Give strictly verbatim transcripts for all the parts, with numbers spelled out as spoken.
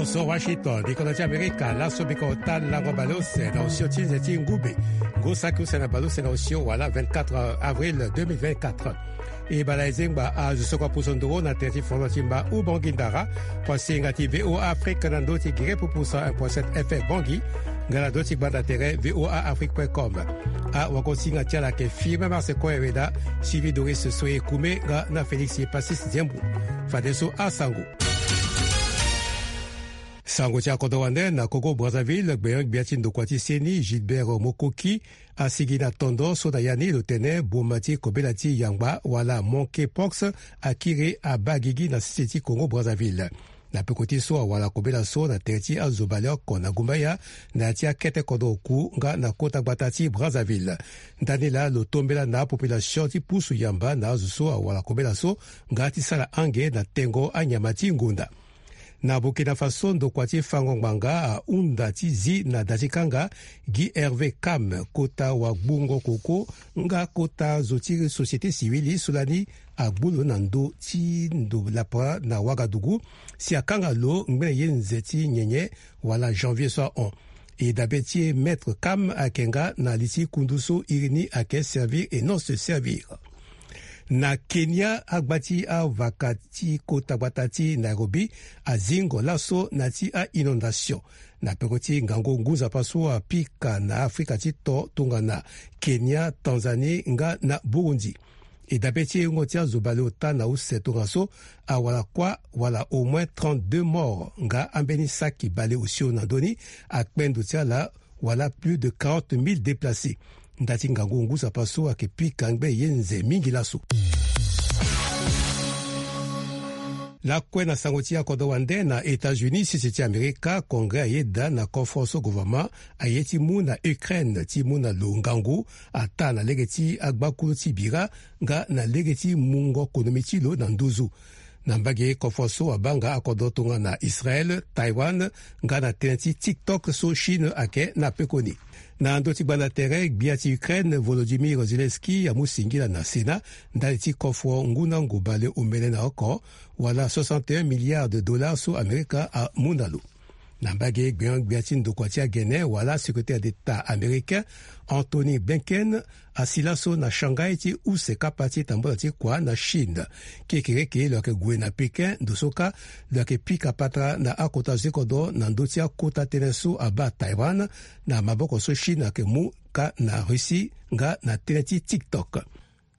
So Washington, bikolo ti Amerika, laso biko ota lango baleuse na osio ti nze ti ngube. Ngu saki use na baleuse na osio wala vingt-quatre avril deux mille vingt-quatre. E bala ezengba azo soko apuso ndoro na tere ti fondement ti mba Ubangui Ndara, kuasinga ti V O A Afrique na ndö ti gere pupusa un point sept F M Bangui, nga na ndö ti gbanda tere V O A Afrique point com. Awagosinga ti ala ayeke Firmin Marsecoin Hereda, Sylvie Doris Soye Koumé nga na Félix Passis Diembo. Fadeso asango. Sango ti akodro wande na Congo Brazzaville, gbenyo-gbia ti ndokua ti seni Gilbert Mokoki asigi na tondo so na ya ni lo tene boma ti kobela ti yangba wala monkeypox akiri abaa gigi na sese ti Congo Brazzaville. Na peko ti so awara kobela so na tere ti azo baleoko na gumbaya na ya ti akete kodro oku nga na kota gbata ti Brazzaville. Ndani laa lo tombela na apopulation ti pusu yamba na azo so awara kobela so nga ti sara ange na tengo anyama ti ngonda. Na Burkina Faso, ndokua ti fango ngbanga ahunda ti zi na da ti kanga Guy Hervé Kam, kota wagbungo koko nga kota zo ti société civile so lani agbu lo na ndö ti ndo lapara na Ouagadougou, si akanga lo ngbene ye nze ti nyenye wala janvier so ahon. E dabe ti e Maître Kam ayeke nga na li ti kundu so iri ni ayeke servir et non se servir. Na Kenya, agba ti avaka ti kota gbata ti Nairobi azingo laso na ya ti a-inondation na peko ti ngangu ngu nzapa so apika na Afrika ti to tongana Kenya, Tanzanie nga na Burundi. E dabe ti e wungo ti azo baleota na use tongaso awara kuâ wala au moins trente-deux morts nga ambeni saki baleosio na ndö ni akpe ndo ti ala wala plus de quarante mille déplacés. Nda ti ngangu ngu nzapa so ayeke pika ngbene ye nze mingi laso. Lakue na sango ti akodro wande na États-Unis, sese ti Amerika, Congrès ayeda na kofro so gouvernement aye ti mu na Ukraine ti mu na lo ngangu ataa na lege ti agbakulu ti bira nga na lege ti mungo konomi ti lo na nduzu. Na mbage kofro so abaa nga akodro tongana Israël, Taïwan nga na tënë ti TikTok so Chine ayeke na pekoni. Na ndö ti gbanda tere, gbia ti Ukraine Volodymyr Zelensky amu singila na Sénat ndali ti kofro ngu na ngu baleomene na oko wala soixante et un milliards de dollars so Amerika amu na lo. Na mbage gbenyo-gbia ti ndokua ti agene wala secrétaire d'État américain Antony Blinken asi laso na Shanghai ti use kapa ti tambula ti kua na Chine. Kekereke lo yeke gue na Pékin, ndo so kâ lo yeke pika patara na akota zo ti kodro na ndö ti akota tënë so abaa Taïwan na maboko so Chine ayeke mu kâ na Russie nga na tënë ti TikTok.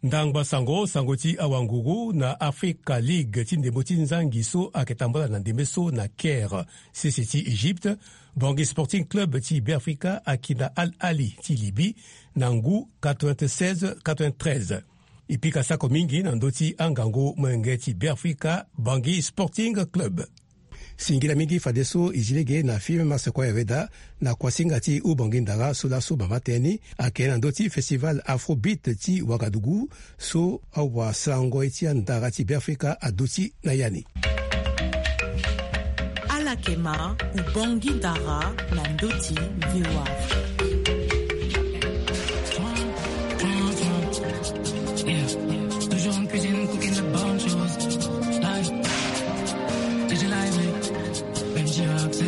Ndangba sango, sango ti awanguru na Africa League ti ndembo ti nzangi so ayeke tambula na ndembe so na Caire, sese ti Egypte. Bangui Sporting Club ti Beafrika aki na Al Ahly ti Libye na ngu quatre-vingt-seize quatre-vingt-treize. E pika sako mingi na ndö ti angangu molenge ti Beafrika, Bangui Sporting Club. Singila mingi fadeso e zi lege na Firmin Marsecoin Hereda na kuasinga ti Ubangui Ndara so laso mama tënë ni ayeke na ndö ti festival Afrobeat ti Ouagadougou so awasango ye ti andara ti Beafrika aduti na ya ni. Ala yeke ma Ubangui Ndara na ndö ti V O A Afrique. Yeah. Toujours en cuisine, cooking the bonnes choses. Live. D J Live, Benji Axel.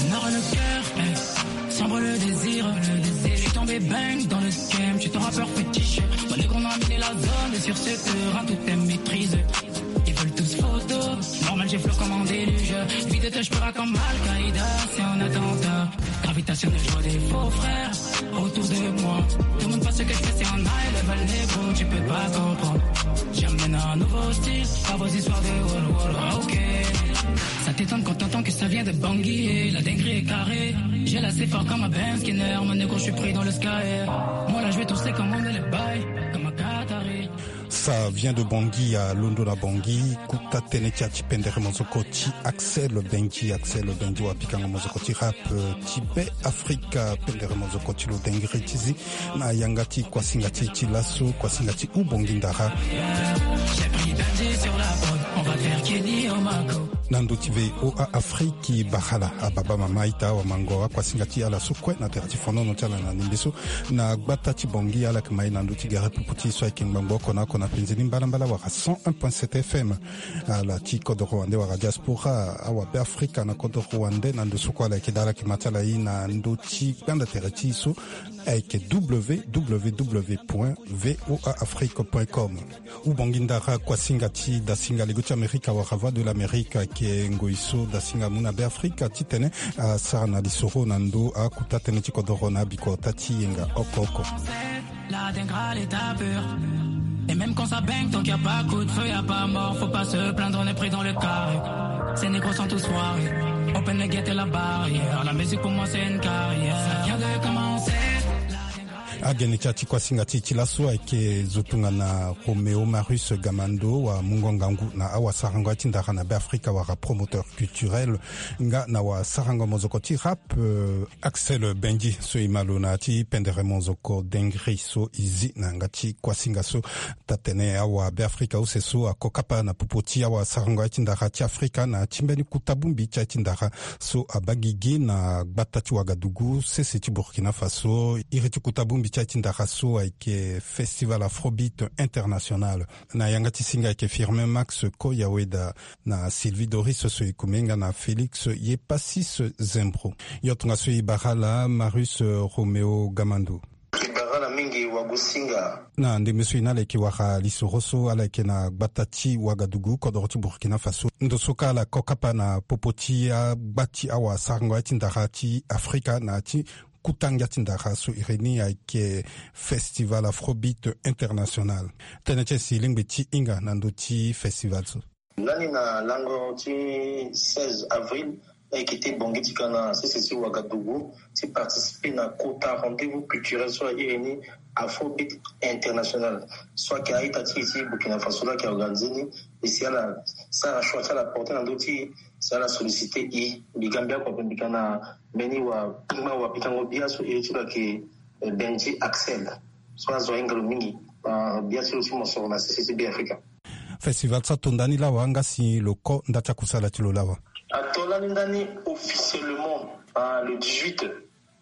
On aura le cœur, eh, s'envole le désir, le désir. Je suis tombé bang dans le scam, je suis ton rappeur fétiche. Moi, les grands ont miné la zone, et sur ce terrain, tout est maîtrisé. Ils veulent tous photo. Normal, j'ai flow comme un déluge. Vie de tâche, je peux comme Al-Qaïda, c'est un attentat. Gravitationnel, je vois des faux frères autour de moi. Tout le monde pense que je fais, c'est un high level, négro, tu peux pas comprendre. J'amène un nouveau style à vos histoires de wall wall, ok. Ça t'étonne quand t'entends que ça vient de Bangui, la dinguerie est carrée. J'ai la C fort comme un Benz Skinner, mon négro, je suis pris dans le sky. Moi là, je vais tousser comme on est le bail, comme un Qatari. Ça vient de Bangui, ya londo na Bangui. Kota tënë ti ya ti pendere mozoko ti Axel Benji. Axel Benji wa pikango mozoko ti rap, euh, ti Be Afrika. Pendere mozoko ti lo dengere ti zi na yanga ti kuasinga ti e ti laso, kuasinga ti Ubangui Ndara. J'ai pris Benji sur la prod. Na ndo ti VOA Afrique, bakala ababa mama ita awamango akuasinga ti ala so kue na tere ti fonono ti ala na ndembe so. Na gbata ti Bangui ala yeke mai na ndo ti gere pupu ti so ayeke ngbangbo oko na oko na penze ni mbalambala wala cent un point sept F M. Ala ti kodoro wande wala diaspora awabeafrika na kodoro wande na ndo so kue ala yeke daa ala yeke ma ti ala ye na ndo ti gbanda tere ti e so ayeke www point voa afrique point com. Hubongi ndara kuasinga ti dasinga lego ti amerika wala voix de l'amérique ayeke ngoi so dasinga amu na beafrika titene asara na lisoro na ndo akuta tënë ti kodoro na abikota ti yenga oko oko. La dingrale est à peur. Et même quand ça baigne, tant qu'il y a pas coup de feu, y a pas mort. Faut pas se plaindre, on est pris dans le carré. Ces négros sont tous foirés. Open the gate et la barrière. La musique pour moi c'est une carrière. Ça vient de commencer. Agene ti ya ti kuasinga ti e ti laso ayeke zo tongana Roméo Marius Gamando, amungo ngangu na awasarango ya ti ndara na beafrika wala promoteur culturel, nga na wasarango mozoko ti rap, euh, Axel Benji so e ma lo na ya ti pendere mozoko dengri so e zi na yanga ti kuasinga so. Taa-tene awabeafrika use so ako kapa na popo ti awasarango ya ti ndara ti afrika na ya ti mbeni kuta bongbi ti ya ti ndara so abaa gigi na gbata ti Wagadugu, sese ti Burkina Faso. Iri ti kuta bongbi ti ya ti ndara so ayeke Festival Afrobeat International. Na yanga ti singa ayeke Firmin Max Koyaweda, na Sylvie Doris so e kume nga na Félix Yepasis Zembro. Yo tongaso e bara ala Marius Roméo Gamando. E bara ala mingi wagosinga. Na ndembe so e na ala yeke wara lisoro so ala yeke na gbata ti Wagadugu, kodoro ti Burkina Faso. Ndo so kâ ala ko kapa na popo ti agba ti awasarango ya ti ndara ti afrika na ya ti kuta ngia ti ndara so iri ni ayeke Festival Afrobeat International. Tënë ti e si lingbi ti hinga na ndö ti festival so. Lani na lango ti seize avril, e yeke ti Bangui ti ga na sese ti Ouagadougou ti participer na kota rendez-vous culturel so airi ni Afrobeat International. So ayeke a-ita ti e ti Burkina Faso laa ayeke organiser ni. E si ala sara choix ti ala porter na ndö ti e, si ala solliciter e. Mbi ga mbi oko ape, mbi ga na mbeni wa, mbeni wapikango bia so iri ti lo ayeke, eh, Benji Axel. So azo ahinga lo mingi. Ah, bia ti lo ti mosoro na sese ti Beafrika. Festival so ato nda ni lawa, nga si lo ko nda ti akusala ti lo lawa? Ato lani ndani officiellement, ah, le dix-huit,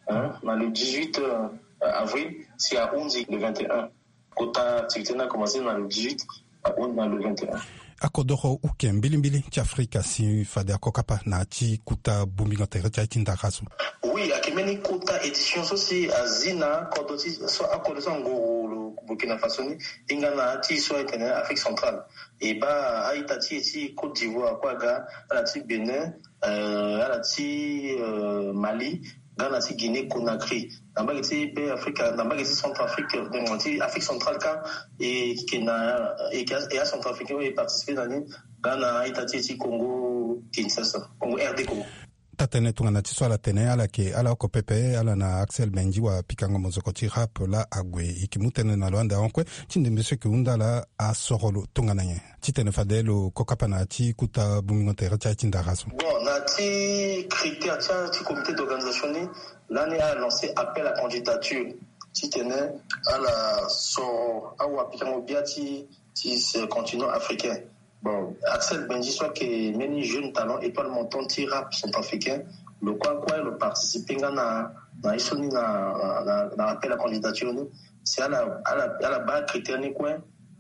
hein, na le dix-huit, euh, avril, si ahunzi le vingt et un. Kota activité ni akomanse na le dix-huit, ahunzi na le vingt et un. Akodoro uke mbilimbili ti Afrika si fade ako kapa na ya ti kuta bongbingo tere ti aye ti ndara so. Oui, ayeke mbeni kota édition so si azi na kodro ti so, akodro so angoro lo Burkina Faso ni, e hinga na ya ti so ayeke na Afrique centrale. E baa a-ita ti e ti Côte d'Ivoire kue aga, ala ti Bénin, euh, ala ti, euh, Mali, nga na ti Guinée Conakry. Na mbage ti Beafrika, na mbage ti Centrafrique, donc ti Afrique centrale kâ, e yeke na, e yeke, e a Centrafricain oyo e participer na ni, nga na a-ita ti e ti Congo Kinshasa, Congo, R D Congo. Taa-tënë tongana ti so ala tene ala yeke ala oko pepe, ala na Axel Benji wapikango mozoko ti rap laa ague. E yeke mu tënë na lo ande ahon kue ti ndembe so e yeke hunda ala asoro lo tongana nyen titene fade lo ko kapa na ya ti kuta bongbingo tere ti aye ti ndara so. Bon, na ya ti critère ti aye ti comité d'organisation ni, lani ala lancer appel à candidature titene ala soro awapikango bia ti, ti ce continent africain. Bon, Axel Benji so ayeke mbeni jeune talent, étoile montante ti rap centrafricain, lo kue akue lo participer nga na, na ye so ni na, na, na appel à candidature ni. Si ala, ala, ala baa critère ni kue,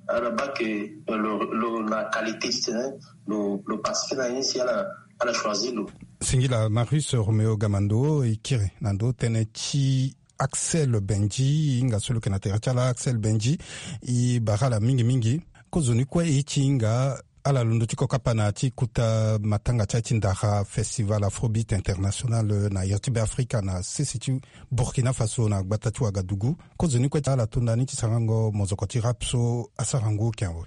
ala baa que, euh, lo, lo, la qualité titene lo, lo participer na ye ni, si ala, ala choisir lo. Singila Marius Roméo Gamando, e kiri na ndo tënë ti Axel Benji, e hinga so lo yeke na tere ti ala Axel Benji, e bara ala mingi mingi. Kozoni kue e ti hinga ala londo ti ko kapa na ya ti kota matanga ti aye ti ndara Festival Afrobeat International na iri ti Beafrika na sese ti Burkina Faso na gbata ti Ouagadougou. Kozoni kue ala to nda ni ti sarango mozoko ti rap so asarango oke awe.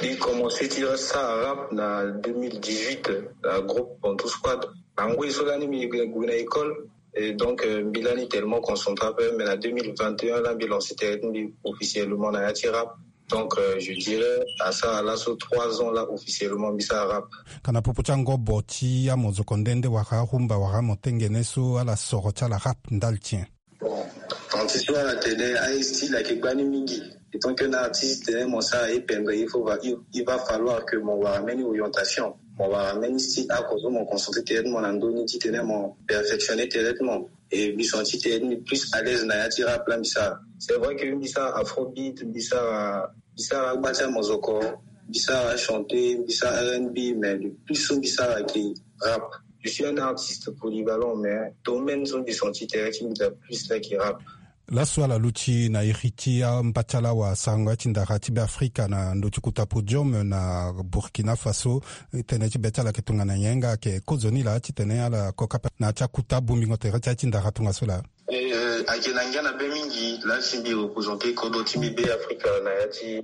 Mbi komanse ti sara rap na deux mille dix-huit na groupe Bantou Squad. Na ngoi so lani mbi gue na école, et donc, euh, mbi lani tellement concentré ape, mais na deux mille vingt et un laa mbi lancer tere ti mbi officiellement na ya ti rap. Donc, euh, je dirais asara laso trois ans laa officiellement mbi sara rap. Ka na popo ti angobo ti amozoko nde nde wala arumba wala amotengene so ala soro ti ala rap ndali ti nyen? Bon, Ti so ala tene aye style ayeke gbani mingi. Etant que na artiste tene mo sara ye pendre, il faut va il, il va falloir que mo wara mbeni orientation, mo wara mbeni style oko so mo concentre tene ti mo na ndö ni titene mo perfectionner tene ti mo. Et mbi senti tene ti mbi plus à l'aise na ya ti rap la mbi sara. C'est vrai que mbi sara afrobeat, mbi sara mbi sara agba ti amozoko, mbi sara achanter, mbi sara rnb, mais le plus so mbi sara ayeke rap. Je suis un artiste polyvalent, mais domaine so mbi senti tene ti mbi daa plus la ayeke rap. Laso ala luti na iri ti amba ti ala wasarango ya ti ndara ti Beafrika na ndö ti kota podium na Burkina Faso. Tënë ti be ti ala ayeke tongana nyen nga? Ayeke kozoni laa titene ala koka ape na ya ti akota bongbingo tere ti aye ti ndara tongaso laa? Eh, ayeke na ngia na be mingi laa si mbi représenter kodro ti mbi Beafrika na ya ti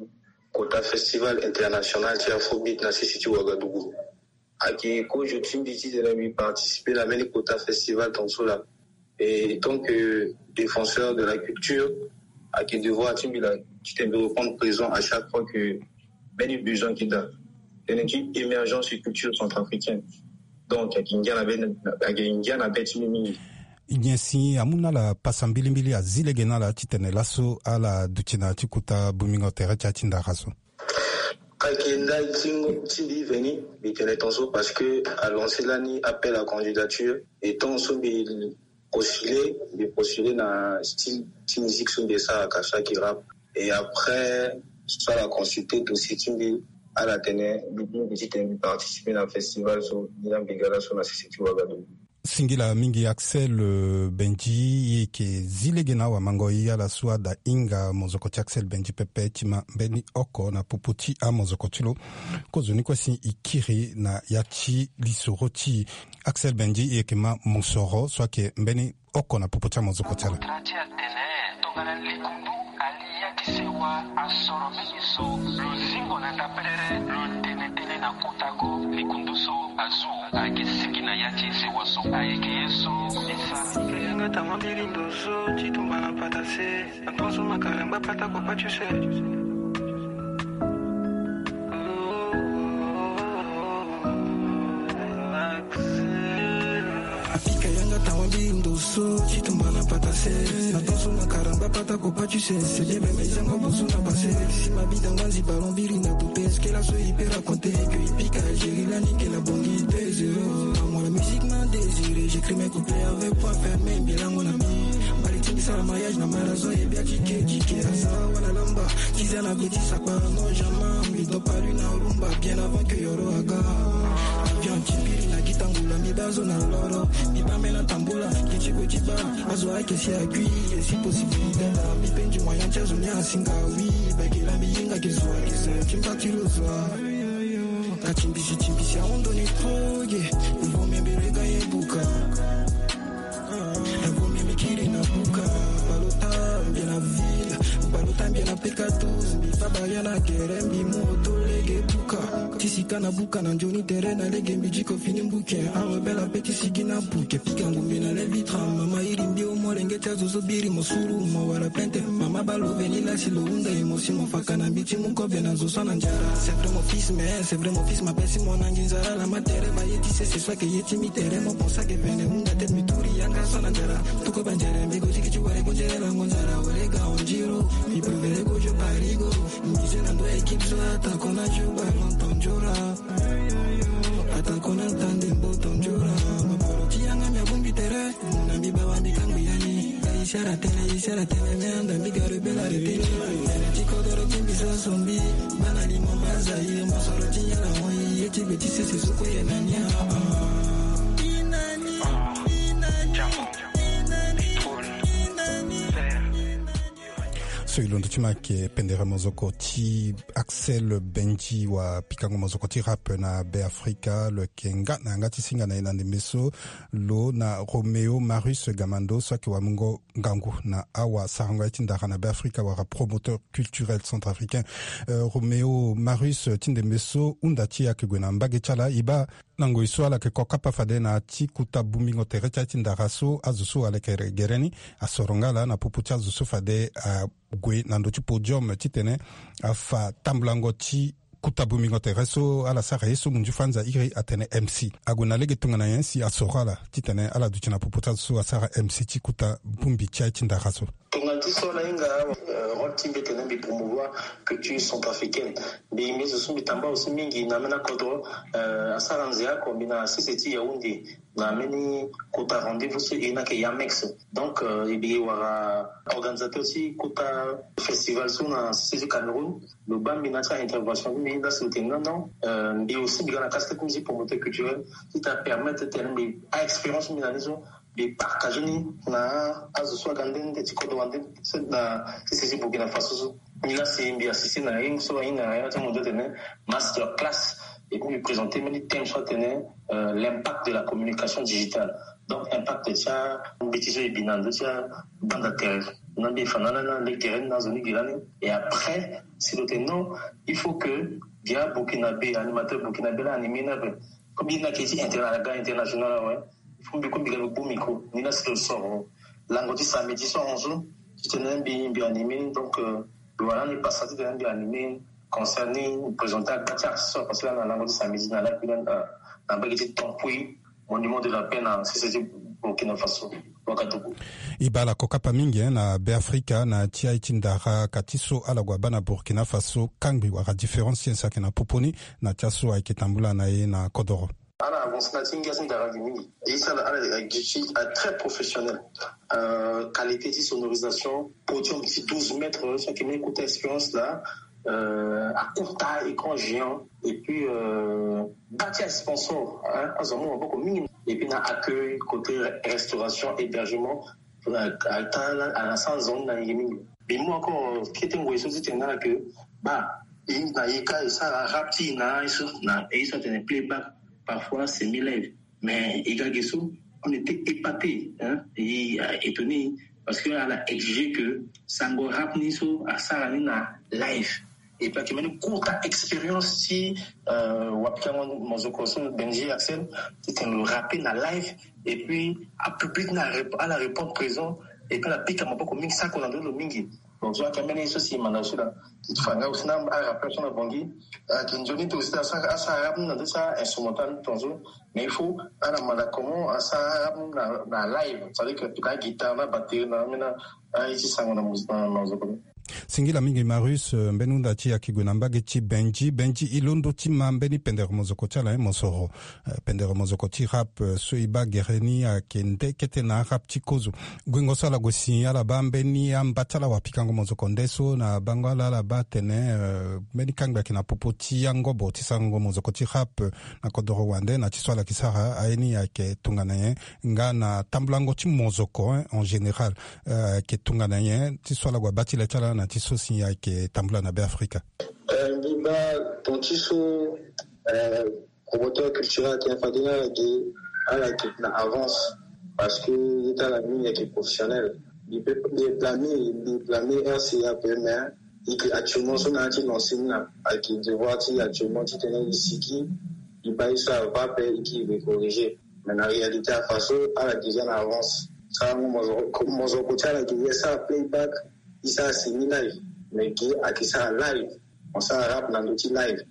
kota festival international ti afrobeat na sese ti Ouagadougou. Ayeke kozo ti mbi titene mbi participer na mbeni kota festival tongaso laa. Et tant que défenseur de la culture, ayeke devoir ti mbi laa titene mbi reprendre présent à chaque fois que mbeni besoin ayeke daa. Tënë ti émergence et culture centrafricaine. Donc ayeke ngia na be, ayeke ngia na be ti mbi mingi. Nyen si amu na ala pasa mbilimbili, azi lege na ala titene laso ala duti na ya ti kota bongbingo tere ti aye ti ndara so? Ayeke ndali ti ngo, ti mbi veni, mbi tene tongaso parce que alancer lani appel à candidature. Et tant so mbi postuler, mbi postuler na style ti musique so mbi esaraka so ayeke rap. Et après so ala consulter dossier ti mbi, ala tene mbi bongbi titene mbi participer na festival so ni laa mbi ga laso na sese ti Ouagadougou. Singila mingi Axel, euh, Benji, e yeke zi lege na awamango e ala so ada hinga mozoko ti Axel Benji pepe ti ma mbeni oko na popo ti amozoko ti lo. Kozoni kue si e kiri na ya ti lisoro ti e. Axel Benji, e yeke ma mosoro so ayeke mbeni oko na popo ti amozoko ti ala. Ti atene tongana likundu ali ya ti sewa asoro mingi so lo zingo na ndapelere lo tene tënë na kota go likundu so azu ayeke sigi na ya ti sewa so ayeke ye so e sara. Yanga tama mbiri ndo so ti tumba na pata se na tonso makalangba pata kopa ti use. Apika yanga tawa mbi ndo so ti tumba na pata se na tonso na karamba pata kopa ti se se bien meme izango boso na pase. Si ma bida nganzi ballon biri na tupe eskela so ipe raconter que ipika Algérie lani ke la bongi deux zéro. Amour la musique m'a désiré, j'écris mes couplets avec point fermé, mbilango na mbi. Mbali ti mbi sara mariage na marazo ye bia tike tike asa wala lamba. Tiza na gwe ti sakpa no jama mbi dopa lui na rumba bien avant que yoro aga. Avion ti mbiri na gitangula mbi bazo na loro. Mbi bambe na tambula kiti gwe ti ba. Azo ake si akui esi possibilité. Mbi penji moyen ti azo ni asinga oui. Bakela mbi yinga ke zwa ke zwa ti mba ti lo zwa. Ka timbisi timbisi aondo ni toge. Evo mbi mbi rega ye buka. Evo mbi mbi kiri na buka. Balota mbi na ville. Balota mbi na peka douze. Mbi fa baria na kere mbi moto lege buka. Ti sika na buka na nzoni tere na lege mbi diko fini mbuke. Awe bela pe ti sigi na buke. Pika ngumbi na le vitra. Mama iri mbi o molenge ti azo zo biri mosuru. Mo wala plente. Mama balo veni lasi lo hunda e mosi mo faka na mbi ti mu kobe na zo so na nzara. C'est vrai mon fils, mais c'est vrai mon fils, ma pesi mo na nginzara la ma tere ba ye ti sese so ake ye ti mi tere mo konsa ke vene hunda tete mi turi yanga so na nzara. Tuko banzere mbi go tiki ti ware go nzere la ngonzara wale ga onjiro. Mi provere go jo parigo. Mi ze na ndo équipe so ata kona jo ba lontan jora. Ata kona tande mbo tan jora. Ma paro ti yanga mi abumbi tere. Na mbi bawa mbi kangbi yani. Isara tene, isara tene, me anda mbi garu bela retene. Tene ti kodoro ti mbi so sombi. Bana limo baza ye mosoro ti yala moi. Ye ti be ti sese soko ye na nia. Inani, inani, inani, inani. So e londo ti ma ayeke pendere mozoko ti Axel Benji wa pikango mozoko ti rap na Beafrika. Lo yeke nga na yanga ti singa na e na ndembe so lo na Roméo Marius Gamando so ayeke wamungo ngangu na awasarango ya ti ndara na Beafrika wala promoteur culturel centrafricain. Euh, Roméo Marius, ti ndembe so hunda ti e ayeke gue na mbage ti ala, e baa na ngoi so ala yeke kokapa fade na ya ti kota bongbingo tere ti aye ti ndara so azo so ala yeke gere ni asoro nga ala na popo ti azo so fade ague na ndö ti podium titene afa tambulango ti kota bongbingo tere so ala sara ye so munzu fanza iri atene M C. Ague na lege tongana nyen si asoro ala titene ala duti na popo ti azo so asara M C ti kota bongbi ti aye ti ndara so? So ala hinga, euh, rôle ti mbi tene mbi promouvoir culture centrafricaine. Mbi mbi zo so mbi tamba aussi mingi na ambeni akodro, euh, asara nze oko mbi na sese ti Yaoundé na ambeni kota rendez-vous so e na ke Yamex. Donc, euh, e mbi wara organisateur ti kota festival so na sese ti Cameroun. Lo baa mbi na ti intervention ti mbi lasi lo tene non non, euh, mbi aussi mbi ga na casquette ti mbi ti promoteur culturel ti ta permettre tene mbi a expérience mbi na ni so mbi partage ni na azo so aga nde nde ti kodro wande na sese ti Burkina Faso so. Ni lasi mbi assiste na ye so ahinga na ya ti amondio atene master class. Et puis mbi présenter mbeni thème so atene, euh, l'impact de la communication digitale. Donc impact ti ambeti so e bi na ndö ti abanda tere na mbi e fa na ala na lege tere ni na azo ni gi lani. Et après si lo tene non, il faut que gi aburkinabé, animateur burkinabé la animé ni ape. Comme ye ni ayeke ti interna aga international awe. Il faut mbi kue mbi ga mbi gbu micro ni lasi lo soro lango ti samedi so ahon so titene mbi mbi animé ni. Donc, euh, lo wara ni pasa titene mbi animé concert ni, mbi présenter agba ti artiste so apassé lani na lango ti samedi na lakui lani na mbage ti Tamboué, monument de la paix na sese ti Burkina Faso. Wakadugu. E baa ala kokapa mingi, hein, na Beafrika na ti aye ti ndara ka ti so ala gue abaa na Burkina Faso kangbi wala différence ti ye so ayeke na popo ni na ti aso ayeke tambula na ye na kodoro. Ala avance na ti ngia ti ndara gi mingi. E sara ala gi ti a très professionnel. Euh, qualité ti sonorisation, podium ti douze mètres so ayeke mbeni kota expérience laa. Euh, akota écran géant. Et puis, euh, gba ti asponsor, hein, azo amu maboko mingi. Et puis na accueil, côté restauration, hébergement, euh, ata ala ala sara nzoni na yenge mingi. Mbi mu encore kete ngoi so ti tene na ala ke baa e na ye ka e sara rap ti e na ye so na ye so atene playback, parfois semi live. Mais e ga ge so, on était épaté, hein, et, euh, étonné, parce que ala exige que sango rap ni so asara ni na live. Et puis ayeke mbeni kota expérience ti, euh, wapikango mozoko so Benji Axel titene lo rappe na live. Et puis apublic ni ala répondre présent. Et puis ala pika maboko mingi, sako na ndö ti lo mingi. Donc so ayeke mbeni ye so si e manda aussi la. Ti fa nga aussi na arappeur so na Bangui ayeke nzoni ti aussi asara rap ni na ndö ti instrumental ni tongaso. Mais il faut ala manda comment asara rap ni na live, c'est-à-dire que na guitare na batterie na ambeni aye ti sango na mozoko ni. Singila mingi Marius, euh, mbeni hunda ti e ayeke gue na mbage ti Benji. Benji, e londo ti ma mbeni pendere mozoko ti ala, hein, mosoro. Euh, pendere mozoko ti rap, euh, so e baa gere ni ayeke nde kete na arap ti kozo. Guengo so ala gue si ala baa mbeni amba ti ala wapikango mozoko nde so na bango ala ala baa atene, euh, mbeni kangbi ayeke na popo ti angobo ti sarango mozoko ti rap, euh, na kodoro wande na ti so ala yeke sara aye ni ayeke tongana nyen? Nga na tambulango ti mozoko, hein, en général, euh, ayeke tongana nyen ti so ala gue abaa ti le ti ala na ti so si ayeke tambula na Beafrika? Euh, mbi baa ton ti so, euh, promoteur culturel ayeke fade ni ala ge, ala yeke na avance. Parce que ye ti ala mingi ayeke professionnel. Mbi pe mbi blâme mbi blâme R C A ape, mais e yeke actuellement so na ya ti lancer ni na ayeke devoir ti e actuellement titene e siki e baa ye so ava ape e ke e corriger. Mais na réalité afa so ala déjà na avance. Sarango mozoko ti ala ge e sara playback, e sara semi live. Mais ge ayeke sara live. Mo sara rap na ndö ti live.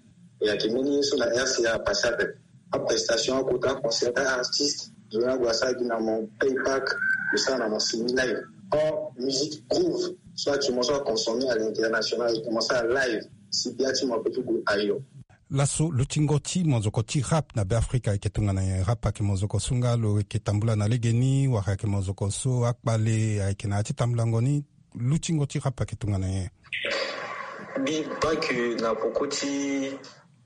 E ayeke mbeni ye so na R C A apassé ape. Aprestation akota concert artiste, zo ni ague asara gi na mo playback, lo sara na mo semi live. Or musique groove so actuellement so aconsommer à l'international, mo sara live. Si bia ti mo ape ti gue ayo. Laso lutingo ti mozoko ti rap na Beafrika ayeke tongana nyen? Rap ayeke mozoko so nga lo yeke tambula na legeni, wala ayeke mozoko so akpale ayeke na ya ti tambulango ni? Lutingo ti rap ayeke tongana nyen? Mbi baa ke na poko ti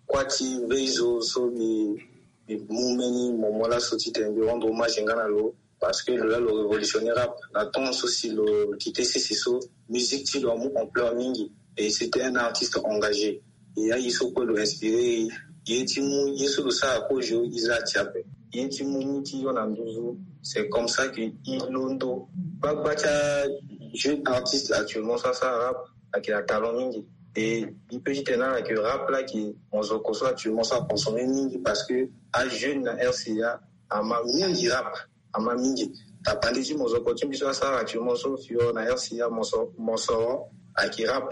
kuâ ti veille so, so mbi mbi mu mbeni moment laso titene mbi rendre hommage nga na lo. Parce que lo laa lo révolutionner rap na temps so si lo quitté sese so, musique ti lo amu ampleur mingi. Et c'était un artiste engagé. E aye so kue lo inspiré e. Ye ti mu ye so lo sara kozo e za ti ape. Ye ti mu ni ti yo na nduzu. C'est comme ça que e londo gbagba ti ajeune artiste actuellement so asara rap ayeke na talent mingi. Et e peut ti tene na ala ke rap laa ayeke mozoko so actuellement so aconsommer mingi parce que ajeune na R C A ama mingi rap. Ama mingi. Tapande ti mozoko ti mbi so asara actuellement so fio na R C A moso moso ayeke rap.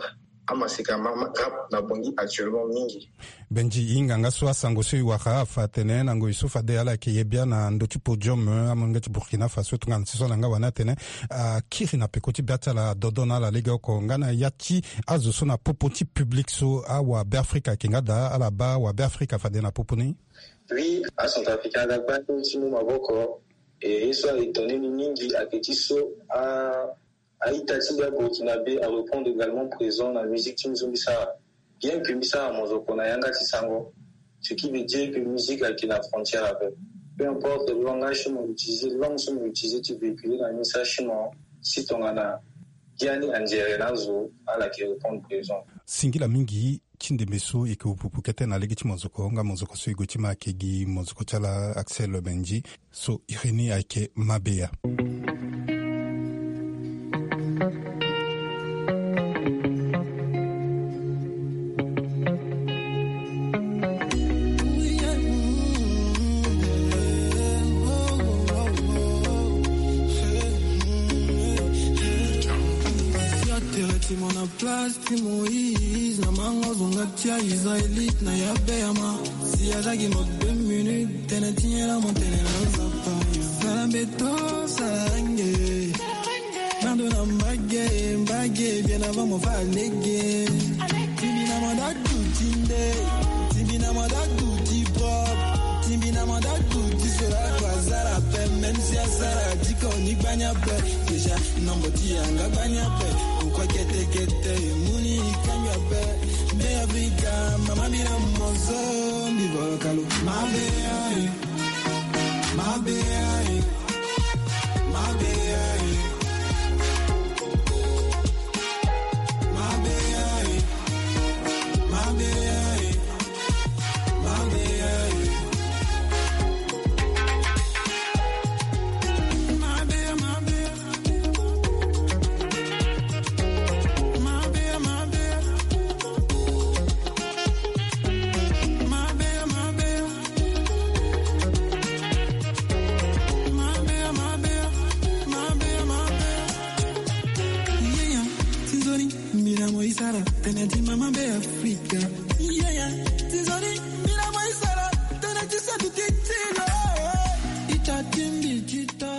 Amaseka ma rap na Bangui actuellement mingi. Benji, e hinga nga so asango so e wara afa atene na ngoi so fade ala yeke ye bia na ndö ti podium, eh, amolenge ti Burkina Faso tongana ti so na nga wani atene akiri na peko ti bia ti ala, adodo na ala legeoko nga na ya ti azo so na popo ti public so awabeafrika ayeke nga daa, ala baa awabeafrika fade na popo ni. Oui, acentrafricain aga gbani ti mu maboko. E ye so a étonné ni mingi ayeke ti so a a-ita ti mbi aburkinabe areprendre également présent na musique ti mbi so mbi sara. Bien que mbi sara mozoko na yanga ti sango, ce qui veut dire que musique ayeke na frontière ape. Peu importe langage so mo utiliser, langue so mo utiliser ti véhiculer na message ti mo, si tongana biani anzere na azo, ala yeke reprendre présent. Singila mingi ti ndembe so e yeke wupupu kete na lege ti mozoko nga mozoko so e gue ti ma ayeke gi mozoko ti ala Axel Benji. So iri ni ayeke Mabeya. Place ti Moïse na mango zonga ti a-Israélite na ya Beyama. Si azalaki mo deux minutes, tene ti nyela mo tene na Nzapa. Sala mbeto, sala nge. Nando na mbage, mbage, bien avant mo fa lege. Timbi na mo da du ti nde. Timbi na mo da du ti pop. Timbi na mo da du ti sera kwa zara pe. Même si azara diko ni gbanya pe. Déjà, nombo ti yanga gbanya pe. Pourquoi kete kete, muni kanya pe. Mbe Afrika, mama mira mozo, mbi volokalo. Mabeya, eh. Mabeya, eh. Mabeya, eh. Mabeya, eh. Mabeya, eh. Yeya, ti nzoni, mbina mo isara, tene ti mama be Afrika. Yeya, ti nzoni, mbina mo isara, tene ti sedu ti tino. Ita timbi tito.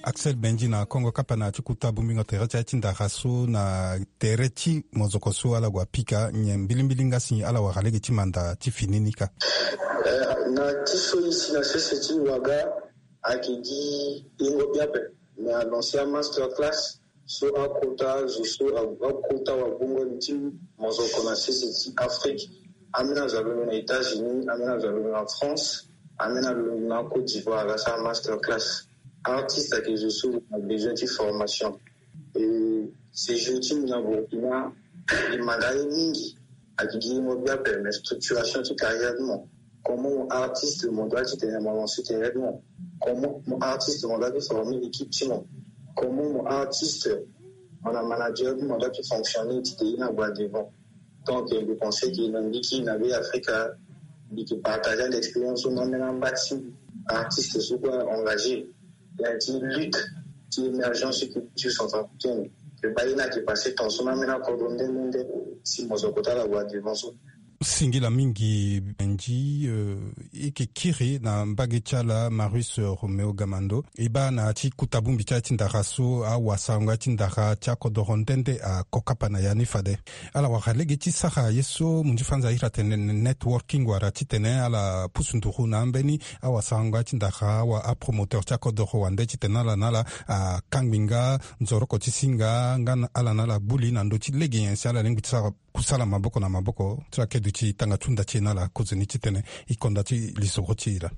Axel Benji na kongo kapa na ti kuta bongbingo tere ti aye ti ndara so na tere ti mozoko so ala gue apika nyen mbilimbili nga si ala wara lege ti manda ti fini ni ka. Eh, na ti so e si na sese ti waga ayeke gi yengo bia ape. Me anoncer amaster class so akota zo so a- akota wabongoni ti mozoko na sese ti Afrique. Ambeni azo alondo na États-Unis, ambeni azo alondo na France, ambeni alondo na Côte d'Ivoire aga sara master class. Artiste ayeke zo so na besoin ti formation. E séjour ti mbi na Burkina e manda ye mingi. Ayeke gi mo bia ape, mais structuration ti carrière ti mo. Comment mo artiste mo doit ti tene mo lancer carrière ti mo? Comment mo artiste mo doit ti former équipe ti mo? Comment mo artiste mo na manager ti mo doit ti fonctionner ti tene e na gba devant? Donc, je pense que na mbi ki na be Afrika, mbi ki partager ande expérience so na ambeni amba ti artiste so kue engagé na ya ti lutte ti émergence ti culture centrafricaine. Mbi baa ye ni ayeke passé temps so na ambeni akodro nde nde nde si mo zo kota ala gba devant so. Singila mingi Benji, euh, e yeke kiri na mbage ti ala Marius, euh, Roméo Gamando. E baa na ya ti kuta bongbi ti aye ti ndara so awasarango ya ti ndara ti akodoro nde nde ako kapa na ya ni fade. Ala wara lege ti sara ye so munzu fanza ahiri atene networking wala titene ala pusu nduru na ambeni awasarango ya ti ndara awa apromoteur ti akodoro wande titene ala na ala akangbi nga nzoroko ti singa nga na ala na ala gbu li na ndö ti lege nyen si ala lingbi ti sara kusala maboko na maboko ti la kedu ti tanga ti hunda ti e na ala kozoni titene e konda ti lisoro ti e laa.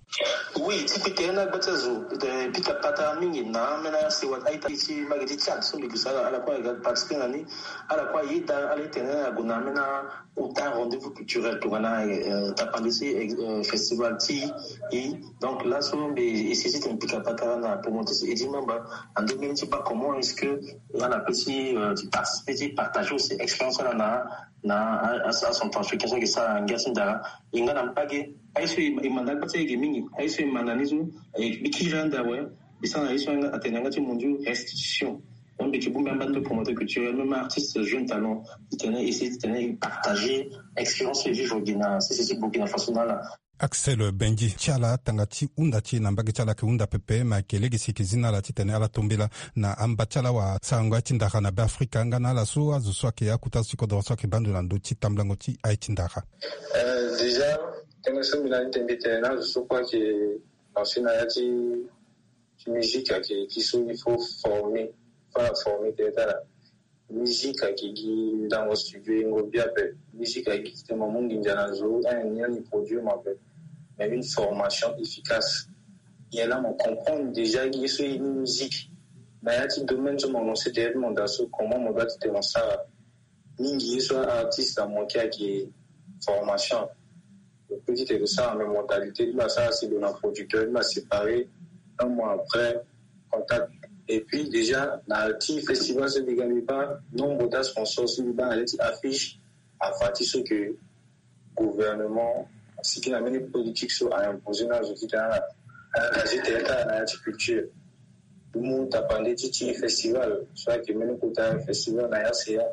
Oui, ti pika ye na gba ti azo, eh, pika patara mingi na ambeni asewa a-ita ti mbage ti Tchad so mbi gue sara ala kue aga participer na ni. Ala kue ayeda ala titene ague na ambeni akota rendez-vous culturel tongana, eh, tapande ti, eh, festival ti e. Donc laso mbi essayer titene pika patara na promoteur ti Eddy Mamba na ndö mbeni ti baa comment est-ce que nga na pe ti, euh, ti participer ti partager aussi expérience ala na na a, a, acentrafricain so ayeke sara ngia ti ndara. E nga na mbage aye so e, e manda gba ti ayeke mingi. Aye so e manda ni so, e, mbi kiri ande awe. Mbi sara na ye so atene na yanga ti mondio restitution. Même biki bumbi amba ndo promoteur culturel, même artiste jeune talent, il tenait essayer, il tenait partager expérience et vivre au Burkina, c'est c'est Burkina Faso na la. Axel Benji ti ala tanga ti hunda ti e na mbage ti ala ayeke hunda pepe, ma ayeke lege si e yeke zi na ala titene ala tombela na amba ti ala wa sarango ya ti ndara na Be Afrika nga na ala so azo so ayeke akuta azo ti kodoro so ayeke bando na ndö ti tambulango ti aye ti ndara. Euh, déjà, tënë so mbi na ni tene mbi tene na azo so kue ayeke lancer na ya ti ti musique ayeke ti so il faut former, fâ former tene ti ala. Musique ayeke gi ndango studio yengo bi ape. Musique ayeke gi titene mo mu nginza na zo, un ni produit mo ape. Mais une formation efficace, nyen la mo comprendre déjà gi ye so ye ni musique na ya ti domaine so mo lancer tene ti mo daa so, comment mo doit titene mo sara. Mingi ye so artiste na mo ki ayeke formation. Petit et ça, mais mentalité ti mbi asara si lo na producteur ti mbi aséparé. Un mois après, contact. Et puis déjà na ti festival so mbi ga mbi baa, nombre ti asponsor so mbi baa na ya ti affiche afa ti so ke gouvernement asigi na mbeni politique so a imposer na zo titene ala engagé tene ti ala na ya ti culture. Mbi mu tapande ti ti festival so ayeke mbeni kota festival na ya seya.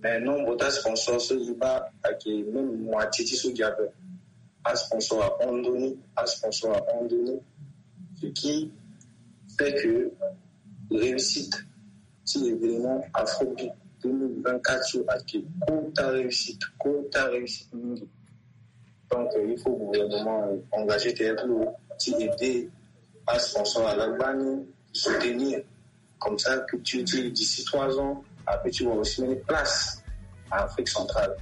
Mais nombre ti asponsor so mbi baa ayeke même moitié ti so gi ape. Asponsor ahon ndoni, asponsor ahon ndoni. Ce qui fait que réussite ti événement Afrobeat deux mille vingt-quatre so ayeke kota réussite, kota réussite mingi. Donc il faut gouvernement engagé tene ti lo ti aider asponsor ala gbani, soutenir. Comme ça culture ti d'ici trois ans ape ti wara aussi mbeni place à Afrique centrale,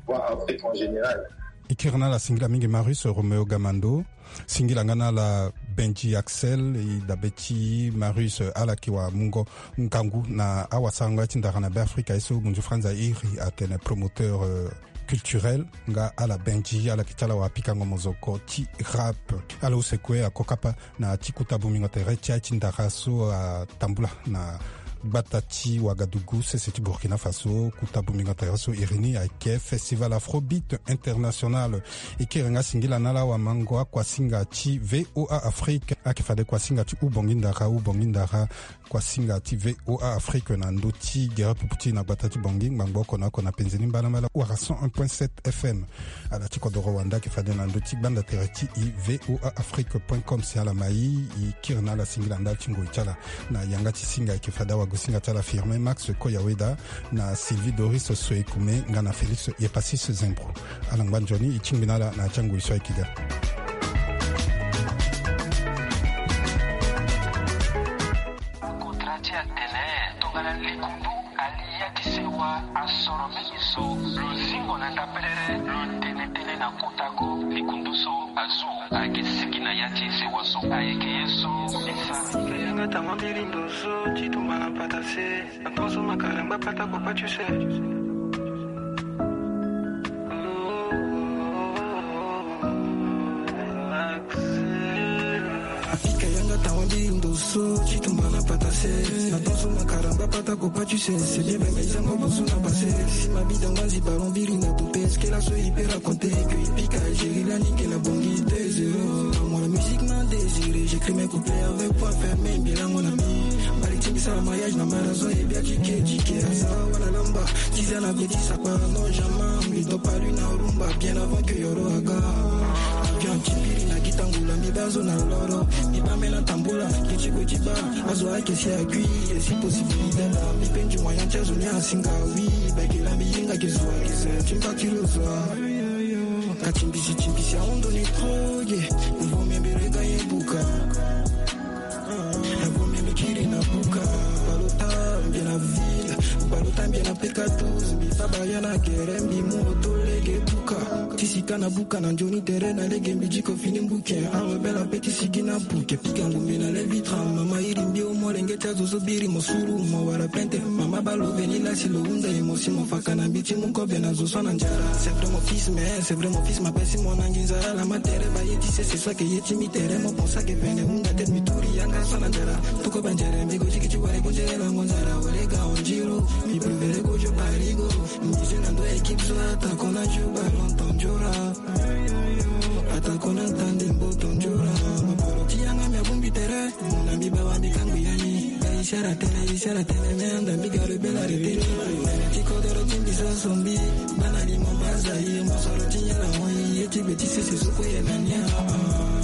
voire Afrique en général. E kiri na ala singila mingi Marius Romeo Gamando. Singila nga na ala Benji Axel, e dabe ti Marius, ala yeke wa mungo ngangu na awasarango ya ti ndara na Be Afrika ye so munzu Franz a iri atene promoteur, euh, culturel, nga ala Benji, ala yeke ti ala wa pikango mozoko ti rap. Ala use kue akokapa na ti kuta bongbingo tere ti aye ti ndara so atambula na gbata ti Ouagadougou, sese ti Burkina Faso. Kuta bongbingo tere so iri ni ayeke Festival Afrobeat International. E kiri nga singila na ala wamango akuasinga ti V O A Afrique. Ayeke fade kuasinga ti hubongi ndara, hubongi ndara, kuasinga ti V O A Afrique na ndö ti gere pupu ti e na gbata ti Bangui, ngbangbo oko na oko na penze ni mbalambala wala cent un point sept F M. Ala ti kodoro wande ayeke fade na ndö ti gbanda tere ti e, V O A Afrique point com. Si ala ma e, e kiri na ala singila ndali ti ngoi ti ala. Na yanga ti singa ayeke fade awagosinga ti ala Firmin Max Koyaweda, na Sylvie Doris Soekume nga na Félix Yepasis Zembro. Ala ngba nzoni, e tingbi na ala na ya ti angoi so ayeke ga. Akontra ti atene tongana likundu ali ya ti sewa asoro mingi so, lo zingo na ndapelele lo tene tënë na kota ko. Likundu so azo ayeke sigi na ya ti sewa so ayeke ye so. Isa yanga tama mbiri ndo so ti tumba na patase. Atonso makalamba pata ko pa tu se. Apika yanga tawa mbi ndo so ti tumba na patase. Atonso makalamba pata ko pa tu se. C'est bien, mais ils ont besoin de passer. Si ma vie dans ma vie, ballon, biri na tout. Est-ce que la soirée peut raconter que Ipika Algérie, la nique, la bongi deux zéro. Moi, la musique m'a désiré. J'écris mes couplets avec point fermé, bilan mon ami. Mbali ti mbi sara mariage na marazo e bia ti ke ti ke. Asara wala lamba. Tiza na beti sakpara non jamais. Mbi to palu na rumba bien avant que yoro aga. Avion ti mbiri na gitangula mbi bazo na loro. Mbi bamela tambula. Kiti ko ti ba. Azo ake si akui. Et si possibilité la. Mbi pendu moyen ti azo ni asinga oui. Beke la mbi yenga ke zwa ke se. Ti mba kilo zwa. Ka timbisi timbisi aondo ni trop ye. Mbo mbi rega ye buka. Mbo mbi kiri na buka. Balota mbi na ville. Balota mbi na P K douze. Mbi fa baya na gere mbi mu oto lege buka. Ti sika na buka na nzoni tere na lege mbi diko fini mbuke. Awe bela pe ti sigi na buke. Pika ngumbi na le vitra. Mama iri mbi o molenge ti azo zo biri mo suru mo wara pente. Mama balo veni la si lo hunda ye mo si mo faka na mbi ti mu kobe na zo so na nzara. C'est vrai mon fils, mais c'est vrai mon fils, ma pesi mo na nginzara la ma tere ba ye ti se se so ake ye ti mi tere mo ponsa ke pene hunda te mi turi yanga so na nzara. Tuko banzere mbi go jiki ti wale go jere la mo nzara wale ga onjiro. Mi prevere go jo parigo. Mi je na ndo équipe so attaquant na Juba longtemps jora. Attaquant na tande mboto jora. Ma poro ti yanga mi abumbi tere. Muna mbi bawa mbi kangbi yani. Siara tene, siara tene, me anda mbi garo bela rete. Ti kodoro ti mbi so so mbi, bana limo baza ye, mosoro ti nyala mo ye, ti be ti sese so ko ye na nia.